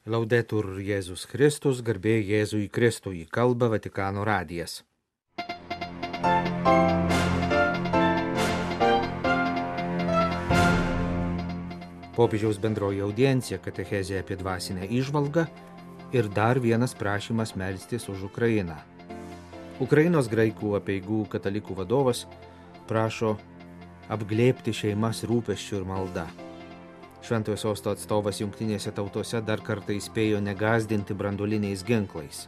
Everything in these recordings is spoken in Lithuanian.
Laudetur Jėzus Kristus, garbė Jėzui Kristui, kalba Vatikano radijas. Popiežiaus bendroji audiencija, katechezė apie dvasinę įžvalgą ir dar vienas prašymas melstis už Ukrainą. Ukrainos graikų apeigų katalikų vadovas prašo apglėbti šeimas rūpesčių ir malda. Šventojo sosto atstovas Jungtinėse tautose dar kartą įspėjo negąsdinti branduoliniais ginklais.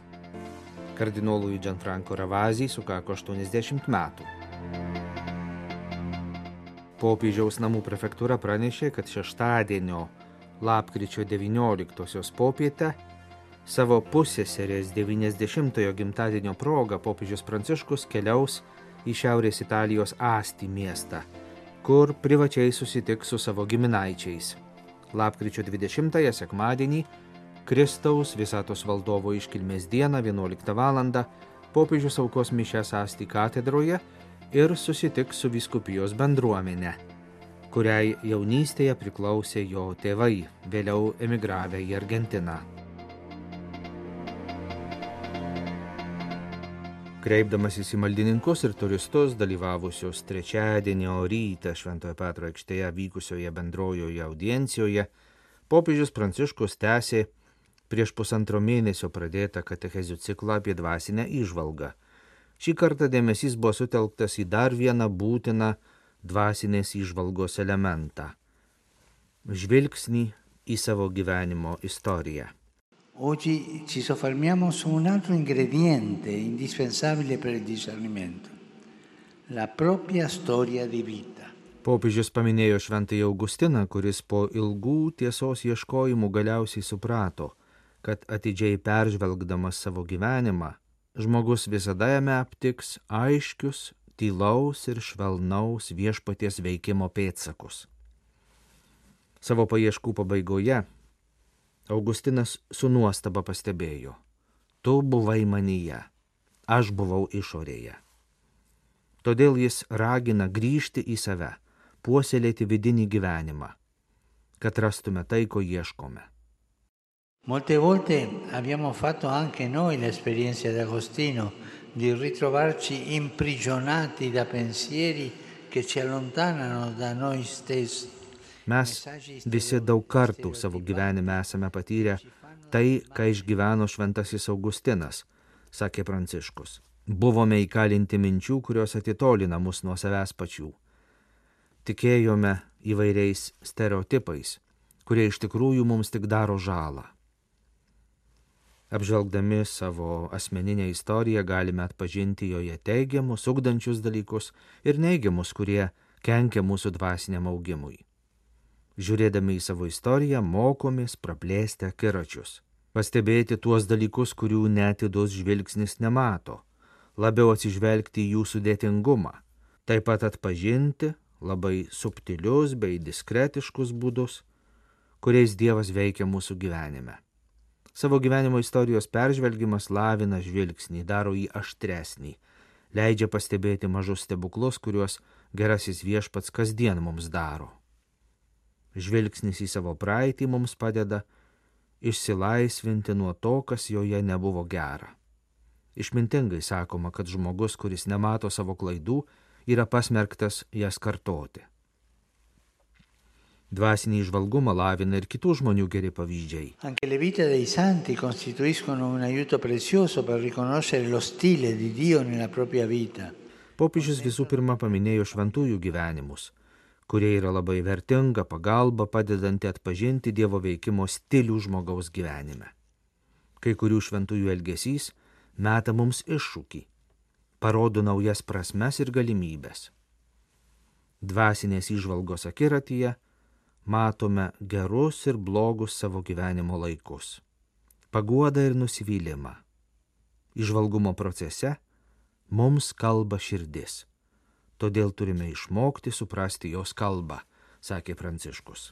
Kardinolui Gianfranco Ravasi sukako 80 metų. Popiežiaus namų prefektūra pranešė, kad šeštadienio lapkričio 19-osios popietę savo pusseserės 90-ojo gimtadienio proga popiežius Pranciškus keliaus į Šiaurės Italijos Asti miestą, kur privačiai susitiks su savo giminaičiais. Lapkričio 20-ąją sekmadienį, Kristaus visatos valdovo iškilmės dieną 11 val. Popiežius aukos mišias Asti katedroje ir susitiks su vyskupijos bendruomene, kuriai jaunystėje priklausė jo tėvai, vėliau emigravę į Argentiną. Kreipdamasis į maldininkus ir turistus dalyvavusius trečiadienio rytą Šventojo Petro aikštėje vykusioje bendrojoje audiencijoje, popiežius Pranciškus tęsė prieš pusantro mėnesio pradėtą katechezių ciklą apie dvasinę įžvalgą. Šį kartą dėmesys buvo sutelktas į dar vieną būtiną dvasinės įžvalgos elementą – žvilgsnį į savo gyvenimo istoriją. Oggi ci soffermiamo su un altro ingrediente indispensabile per il discernimento, la propria storia di vita. Popiežius paminėjo šventąjį Augustiną, kuris po ilgų tiesos ieškojimų galiausiai suprato, kad atidžiai peržvelgdamas savo gyvenimą, žmogus visada jame aptiks aiškius, tylaus ir švelnaus viešpaties veikimo pėdsakus. Savo paieškų pabaigoje Augustinas su nuostaba pastebėjo: tu buvai manyje, aš buvau išorėje. Todėl jis ragina grįžti į save, puoselėti vidinį gyvenimą, kad rastume tai, ko ieškome. Molte volte abbiamo fatto anche noi l'esperienza di Agostino di ritrovarci imprigionati da pensieri che ci allontanano da noi stessi. Mes visi daug kartų savo gyvenime esame patyrę tai, ką išgyveno šventasis Augustinas, sakė Pranciškus. Buvome įkalinti minčių, kurios atitolina mus nuo savęs pačių. Tikėjome įvairiais stereotipais, kurie iš tikrųjų mums tik daro žalą. Apžvelgdami savo asmeninę istoriją galime atpažinti joje teigiamus, ugdančius dalykus ir neigiamus, kurie kenkia mūsų dvasiniam augimui. Žiūrėdami į savo istoriją, mokomės praplėsti akiračius, pastebėti tuos dalykus, kurių netidus žvilgsnis nemato, labiau atsižvelgti į jų sudėtingumą, taip pat atpažinti labai subtilius bei diskretiškus būdus, kuriais Dievas veikia mūsų gyvenime. Savo gyvenimo istorijos peržvelgimas lavina žvilgsnį, daro jį aštresnį, leidžia pastebėti mažus stebuklus, kuriuos gerasis viešpats kasdien mums daro. Žvilgsnis į savo praeitį mums padeda išsilaisvinti nuo to, kas joje nebuvo gera. Išmintingai sakoma, kad žmogus, kuris nemato savo klaidų, yra pasmerktas jas kartoti. Dvasinį įžvalgumą lavina ir kitų žmonių geri pavyzdžiai. Anche le vite dei santi costituiscono un aiuto prezioso per riconoscere lo stile di Dio nella propria vita. Popiežius visų pirma paminėjo šventųjų gyvenimus, kurie yra labai vertinga pagalba padedanti atpažinti Dievo veikimo stilių žmogaus gyvenime. Kai kurių šventųjų elgesys meta mums iššūkį, parodo naujas prasmes ir galimybės. Dvasinės įžvalgos akiratyje matome gerus ir blogus savo gyvenimo laikus, paguodą ir nusivylimą. Įžvalgumo procese mums kalba širdis. Todėl turime išmokti suprasti jos kalbą, sakė Pranciškus.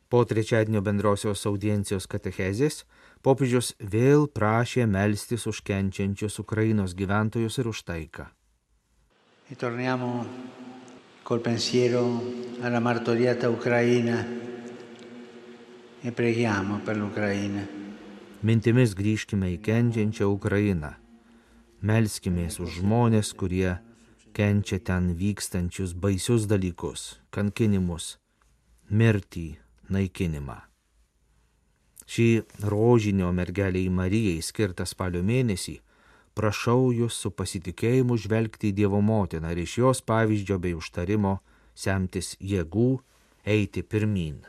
Po trečiadienio bendrosios audiencijos katechezės popiežius vėl prašė melstis už kenčiančius Ukrainos gyventojus ir už taiką. E torniamo col pensiero alla martoriata Ucraina e preghiamo per l'Ucraina. Mintimis grįžkime į kenčiančią Ukrainą. Melskimės už žmonės, kurie kenčia ten vykstančius baisius dalykus, kankinimus, mirtį, naikinimą. Šį rožinio mergeliai Marijai skirtą spalio mėnesį prašau jūs su pasitikėjimu žvelgti į Dievo motiną ir iš jos pavyzdžio bei užtarimo semtis jėgų eiti pirmyn.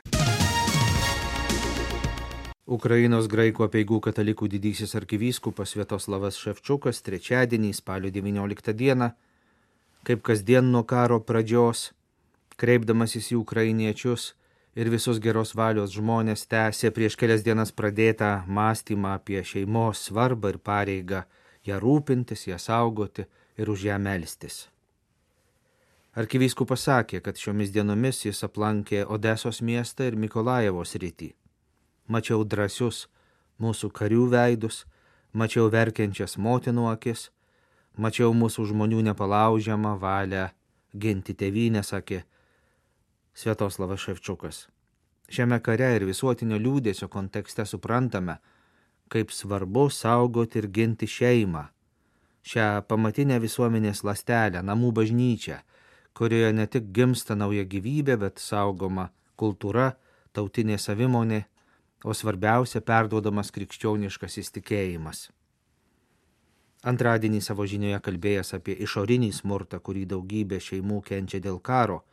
Ukrainos graikų apeigų katalikų didysis arkivyskupas Sviatoslavas Ševčiukas trečiadienį spalio 19 dieną, kaip kasdien nuo karo pradžios, kreipdamasis į ukrainiečius ir visus geros valios žmonės, tęsė prieš kelias dienas pradėtą mąstymą apie šeimos svarbą ir pareigą ją rūpintis, ją saugoti ir už ją melstis. Arkivyskupas sakė, kad šiomis dienomis jis aplankė Odesos miestą ir Mikolajevo sritį. Mačiau drąsius mūsų karių veidus, mačiau verkiančias motinų akis, mačiau mūsų žmonių nepalaužiamą valią ginti tėvynę, sakė Sviatoslavas Ševčiukas. Šiame kare ir visuotinio liūdėsio kontekste suprantame, kaip svarbu saugoti ir ginti šeimą, šią pamatinę visuomenės ląstelę, namų bažnyčią, kurioje ne tik gimsta nauja gyvybė, bet saugoma kultūra, tautinė savimonė, o svarbiausia perduodamas krikščioniškas įsitikėjimas. Antradienį savo žinioje kalbėjęs apie išorinį smurtą, kurį daugybė šeimų kenčia dėl karo,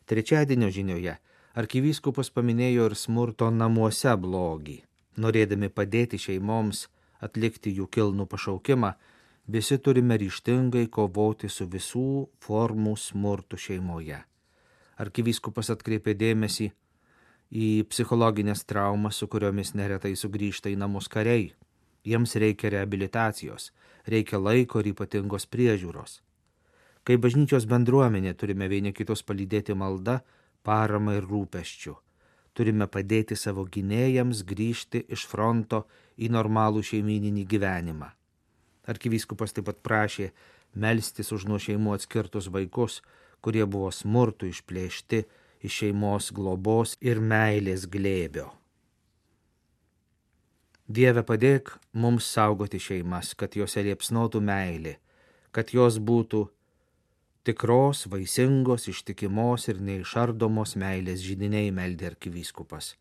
trečiadienio žinioje arkivyskupas paminėjo ir smurto namuose blogį. Norėdami padėti šeimoms atlikti jų kilnų pašaukimą, visi turime ryžtingai kovoti su visų formų smurtu šeimoje. Arkivyskupas atkreipė dėmesį į psichologinės traumas, su kuriomis neretai sugrįžta į namus kariai. Jiems reikia reabilitacijos, reikia laiko ir ypatingos priežiūros. Kai bažnyčios bendruomenė turime vieni kitus palydėti malda, parama ir rūpesčiu. Turime padėti savo gynėjams grįžti iš fronto į normalų šeimyninį gyvenimą. Arkivyskupas taip pat prašė melstis už nuo šeimų atskirtus vaikus, kurie buvo smurtu išplėšti iš šeimos globos ir meilės glėbio. Dieve, padėk mums saugoti šeimas, kad jose liepsnotų meilė, kad jos būtų tikros, vaisingos, ištikimos ir neišardomos meilės židiniai, meldė arkivyskupas.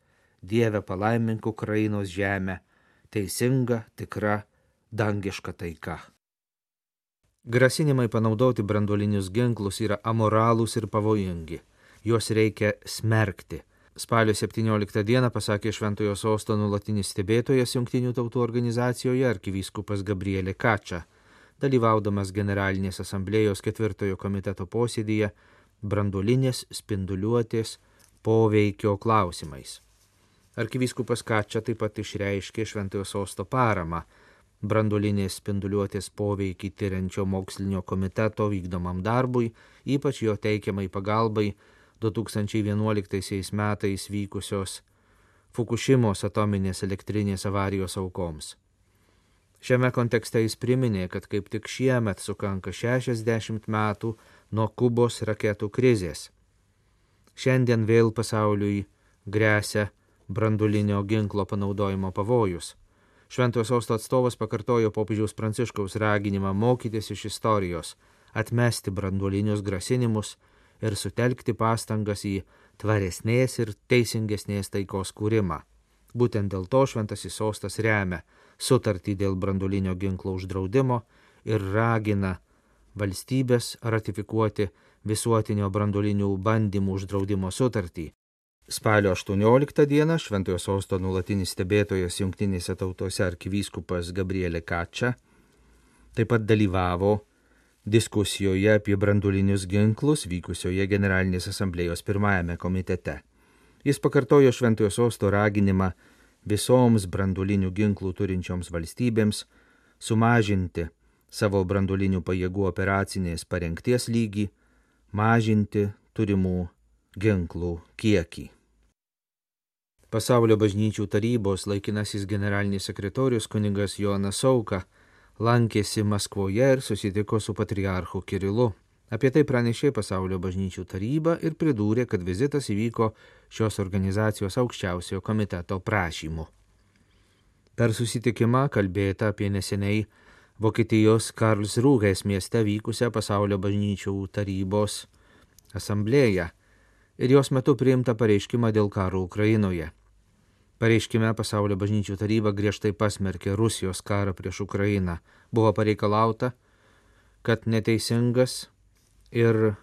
Dieve, palaimink Ukrainos žemę, teisinga, tikra, dangiška taika. Grasinimai panaudoti branduolinius ginklus yra amoralūs ir pavojingi. Juos reikia smerkti. Spalio 17 dieną pasakė Šventojo Sosto nuolatinis stebėtojas Jungtinių tautų organizacijoje arkivyskupas Gabriele Kača, dalyvaudamas Generalinės asamblėjos 4 komiteto posėdyje branduolinės spinduliuotės poveikio klausimais. Arkivyskupas Kača taip pat išreiškė Šventojo Sosto paramą branduolinės spinduliuotės poveikį tiriančio mokslinio komiteto vykdomam darbui, ypač jo teikiamai pagalbai 2011 metais vykusios Fukušimos atominės elektrinės avarijos aukoms. Šiame kontekste jis priminė, kad kaip tik šiemet sukanka 60 metų nuo Kubos raketų krizės. Šiandien vėl pasauliui gresia branduolinio ginklo panaudojimo pavojus. Šventojo Sosto atstovas pakartojo popiežiaus Pranciškaus raginimą mokytis iš istorijos, atmesti branduolinius grasinimus ir sutelkti pastangas į tvaresnės ir teisingesnės taikos kūrimą. Būtent dėl to Šventasis Sostas remia sutartį dėl branduolinio ginklo uždraudimo ir ragina valstybės ratifikuoti visuotinio branduolinių bandymų uždraudimo sutartį. Spalio 18 dieną Šventojo Sosto nuolatinis stebėtojas Jungtinėse tautose arkivyskupas Gabriele Kača taip pat dalyvavo diskusijoje apie branduolinius ginklus vykusioje Generalinės asamblėjos 1 komitete. Jis pakartojo Šventojo Sosto raginimą visoms branduolinių ginklų turinčioms valstybėms sumažinti savo branduolinių pajėgų operacinės parengties lygį, mažinti turimų ginklų kiekį. Pasaulio bažnyčių tarybos laikinasis generalinis sekretorius kunigas Jonas Sauka lankėsi Maskvoje ir susitiko su patriarchu Kirilu. Apie tai pranešė Pasaulio bažnyčių taryba ir pridūrė, kad vizitas įvyko šios organizacijos aukščiausiojo komiteto prašymu. Per susitikimą kalbėta apie neseniai Vokietijos Karlsrūhės mieste vykusią Pasaulio bažnyčių tarybos asamblėją ir jos metu priimta pareiškimą dėl karo Ukrainoje. Pareiškime Pasaulio bažnyčių taryba griežtai pasmerkė Rusijos karą prieš Ukrainą. Buvo pareikalauta, kad neteisingas ir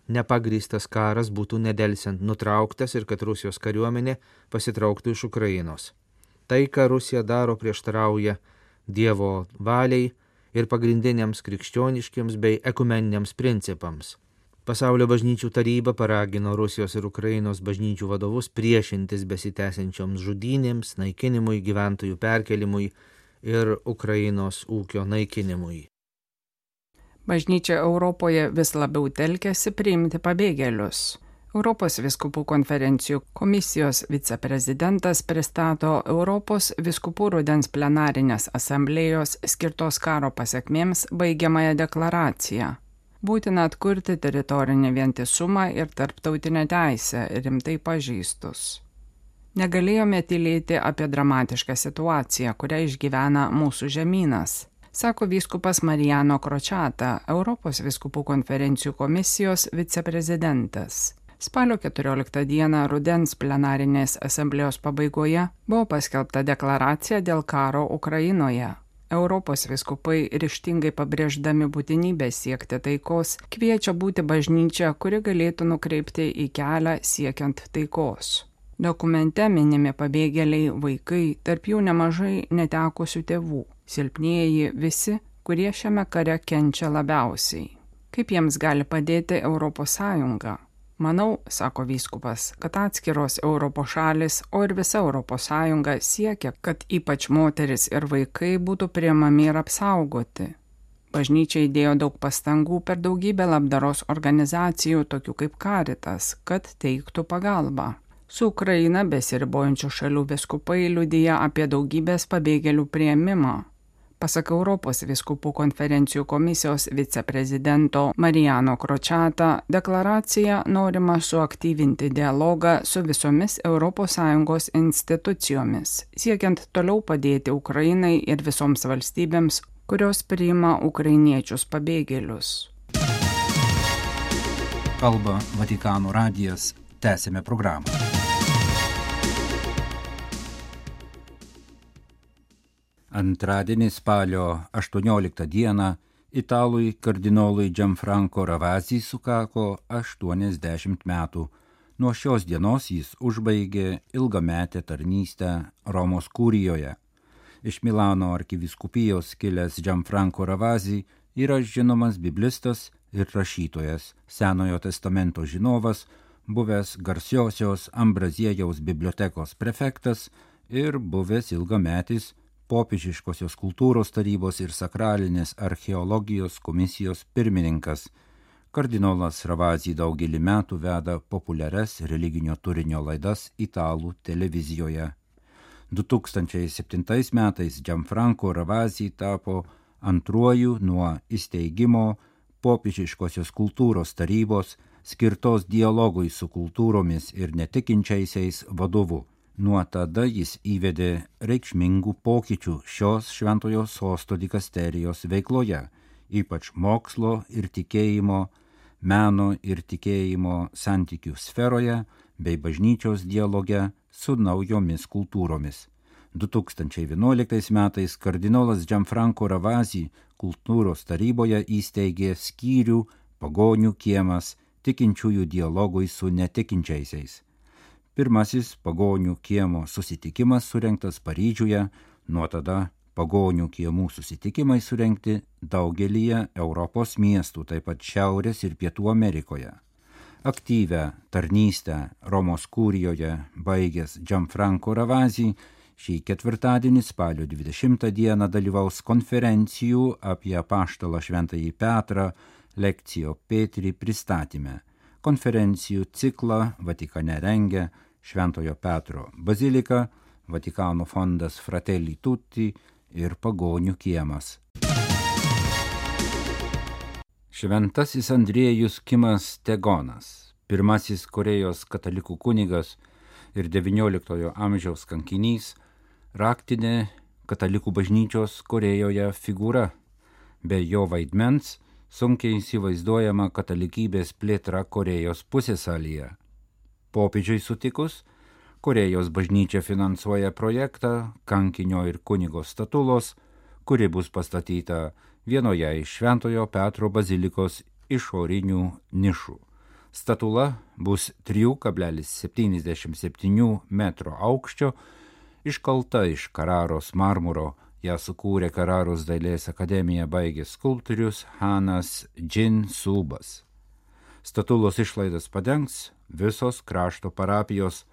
nepagrįstas karas būtų nedelsiant nutrauktas ir kad Rusijos kariuomenė pasitrauktų iš Ukrainos. Tai, ką Rusija daro, prieštarauja Dievo valiai ir pagrindiniams krikščioniškiams bei ekumeniniams principams. Pasaulio bažnyčių taryba paragino Rusijos ir Ukrainos bažnyčių vadovus priešintis besitęsiančioms žudynėms, naikinimui, gyventojų perkelimui ir Ukrainos ūkio naikinimui. Bažnyčia Europoje vis labiau telkiasi priimti pabėgėlius. Europos vyskupų konferencijų komisijos viceprezidentas pristato Europos vyskupų rudens plenarinės asamblėjos skirtos karo pasekmėms baigiamąją deklaraciją. Būtina atkurti teritorinį vientisumą ir tarptautinę teisę rimtai pažeistus. Negalėjome tylėti apie dramatišką situaciją, kurią išgyvena mūsų žemynas, sako vyskupas Mariano Kročata, Europos vyskupų konferencijų komisijos viceprezidentas. Spalio 14 dieną rudens plenarinės asamblėjos pabaigoje buvo paskelbta deklaracija dėl karo Ukrainoje. Europos vyskupai ryžtingai pabrėždami būtinybę siekti taikos, kviečia būti bažnyčia, kuri galėtų nukreipti į kelią siekiant taikos. Dokumente minimi pabėgėliai vaikai, tarp jų nemažai netekusių tėvų, silpnieji visi, kurie šiame kare kenčia labiausiai. Kaip jiems gali padėti Europos Sąjunga? Manau, sako vyskupas, kad atskiros Europos šalis, o ir visa Europos Sąjunga siekia, kad ypač moteris ir vaikai būtų priimami ir apsaugoti. Bažnyčia įdėjo daug pastangų per daugybę labdaros organizacijų, tokių kaip Caritas, kad teiktų pagalbą. Su Ukraina besiribojančių šalių vyskupai liudija apie daugybės pabėgėlių priėmimą. Pasak Europos vyskupų konferencijų komisijos viceprezidento Mariano Kročata, deklaracija norima suaktyvinti dialogą su visomis ES institucijomis, siekiant toliau padėti Ukrainai ir visoms valstybėms, kurios priima ukrainiečius pabėgėlius. Kalba Vatikano radijas. Tęsime programą. Antradienį spalio 18 dieną italui kardinolui Gianfranco Ravasi sukako 80 metų. Nuo šios dienos jis užbaigė ilgametę tarnystę Romos kurijoje. Iš Milano arkivyskupijos kilęs Gianfranco Ravasi yra žinomas biblistas ir rašytojas, Senojo testamento žinovas, buvęs garsiosios Ambraziejaus bibliotekos prefektas ir buvęs ilgametis Popiežiškosios kultūros tarybos ir sakralinės archeologijos komisijos pirmininkas. Kardinolas Ravasi daugelį metų veda populiarias religinio turinio laidas italų televizijoje. 2007 metais Gianfranco Ravasi tapo antruoju nuo įsteigimo Popiežiškosios kultūros tarybos skirtos dialogui su kultūromis ir netikinčiaisiais vadovu. Nuo tada jis įvedė reikšmingų pokyčių šios šventojo sosto dikasterijos veikloje, ypač mokslo ir tikėjimo, meno ir tikėjimo santykių sferoje bei bažnyčios dialoge su naujomis kultūromis. 2011 metais kardinolas Gianfranco Ravasi kultūros taryboje įsteigė skyrių Pagonių kiemas tikinčiųjų dialogui su netikinčiaisiais. Pirmasis Pagonių kiemo susitikimas surengtas Paryžiuje, nuo tada Pagonių kiemų susitikimai surengti daugelyje Europos miestų, taip pat Šiaurės ir Pietų Amerikoje. Aktyvią tarnystę Romos kurijoje baigęs Gianfranco Ravasi šį ketvirtadienį spalio 20 dieną dalyvaus konferencijų apie apaštalą Šventąjį Petrą Lectio Petri pristatyme. Konferencijų ciklą Vatikane rengia Šventojo Petro bazilika, Vatikano fondas Fratelli Tutti ir Pagonių kiemas. Šventasis Andriejus Kimas Tegonas, pirmasis Korėjos katalikų kunigas ir XIX amžiaus kankinys, raktinė katalikų bažnyčios Korėjoje figūra. Be jo vaidmens sunkiai įsivaizduojama katalikybės plėtra Korėjos pusiasalyje. Popiežiui sutikus, Korėjos bažnyčia finansuoja projektą kankinio ir kunigo statulos, kuri bus pastatyta vienoje iš Šventojo Petro bazilikos išorinių nišų. Statula bus 3,77 metro aukščio, iškalta iš Kararos marmuro. Ją sukūrė Kararos dailės akademiją baigęs skulptorius Hanas Džin Subas. Statulos išlaidas padengs visos krašto parapijos,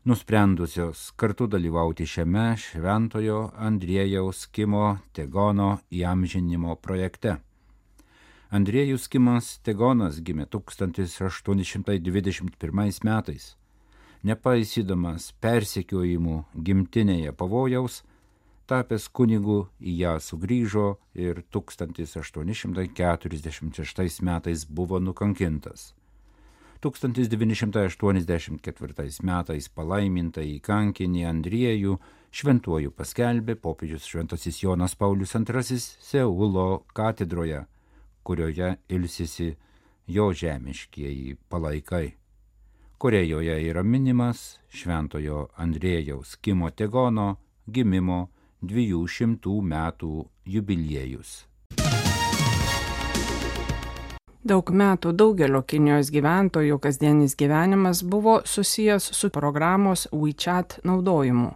nusprendusios kartu dalyvauti šiame Šventojo Andriejaus Kimo Tegono įamžinimo projekte. Andriejus Kimas Tegonas gimė 1821 metais. Nepaisydamas persekiojimų gimtinėje pavojaus, tapęs kunigu į ją sugrįžo ir 1846 metais buvo nukankintas. 1984 metais palaimintą į kankinį Andriejų šventuoju paskelbė popiežius Šventasis Jonas Paulius II Seulo katedroje, kurioje ilsisi jo žemiškieji palaikai. Korėjoje yra minimas Šventojo Andriejaus Kimo Tegono gimimo 200 metų jubiliejus. Daug metų daugelio Kinijos gyventojų kasdienis gyvenimas buvo susijęs su programos WeChat naudojimu.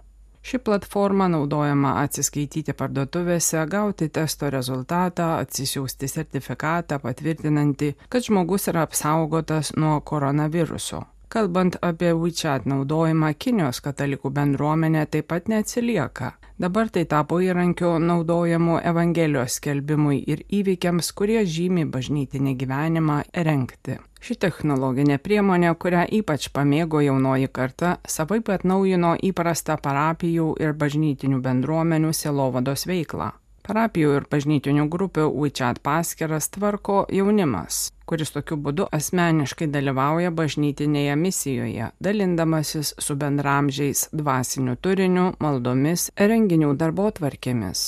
Ši platforma naudojama atsiskaityti parduotuvėse, gauti testo rezultatą, atsisiųsti sertifikatą patvirtinantį, kad žmogus yra apsaugotas nuo koronaviruso. Kalbant apie WeChat naudojimą, Kinijos katalikų bendruomenė taip pat neatsilieka. Dabar tai tapo įrankiu naudojamu Evangelijos skelbimui ir įvykiams, kurie žymi bažnytinį gyvenimą, rengti. Ši technologinė priemonė, kurią ypač pamėgo jaunoji karta, savaip atnaujino įprastą parapijų ir bažnytinių bendruomenių sielovados veiklą. Parapijų ir bažnytinių grupių WeChat paskyras tvarko jaunimas, kuris tokiu būdu asmeniškai dalyvauja bažnytinėje misijoje, dalindamasis su bendramžiais dvasiniu turiniu, maldomis, renginių darbotvarkėmis.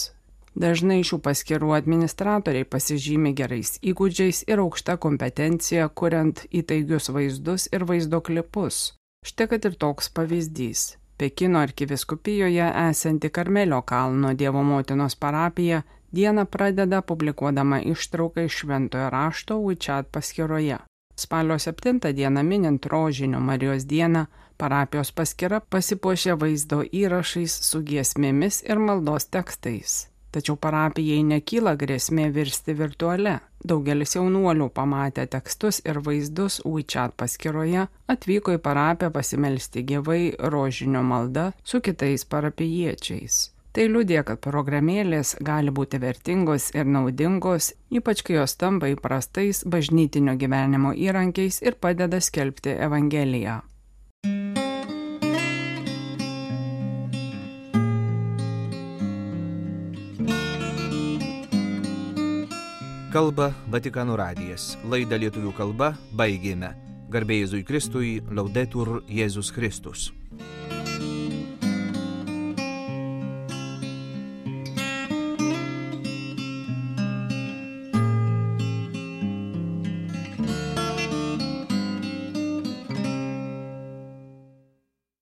Dažnai šių paskyrų administratoriai pasižymi gerais įgūdžiais ir aukšta kompetencija, kuriant įtaigius vaizdus ir vaizdo klipus. Štai kad ir toks pavyzdys. Pekino arkiviskupijoje esanti Karmelio kalno Dievo motinos parapija dieną pradeda publikuodama ištrauką iš Šventojo rašto WeChat paskyroje. Spalio 7 dieną minint Rožinio Marijos dieną, parapijos paskyra pasipuošė vaizdo įrašais su giesmėmis ir maldos tekstais. Tačiau parapijai nekyla grėsmė virsti virtuale. Daugelis jaunuolių pamatę tekstus ir vaizdus WeChat paskyroje atvyko į parapiją pasimelsti gyvai rožinio malda su kitais parapijiečiais. Tai liudija, kad programėlės gali būti vertingos ir naudingos, ypač kai jos tampa įprastais bažnytinio gyvenimo įrankiais ir padeda skelbti Evangeliją. Kalba Vatikano radijas. Laidą lietuvių kalba baigėme. Garbė Jėzui Kristui, Laudetur Jėzus Kristus.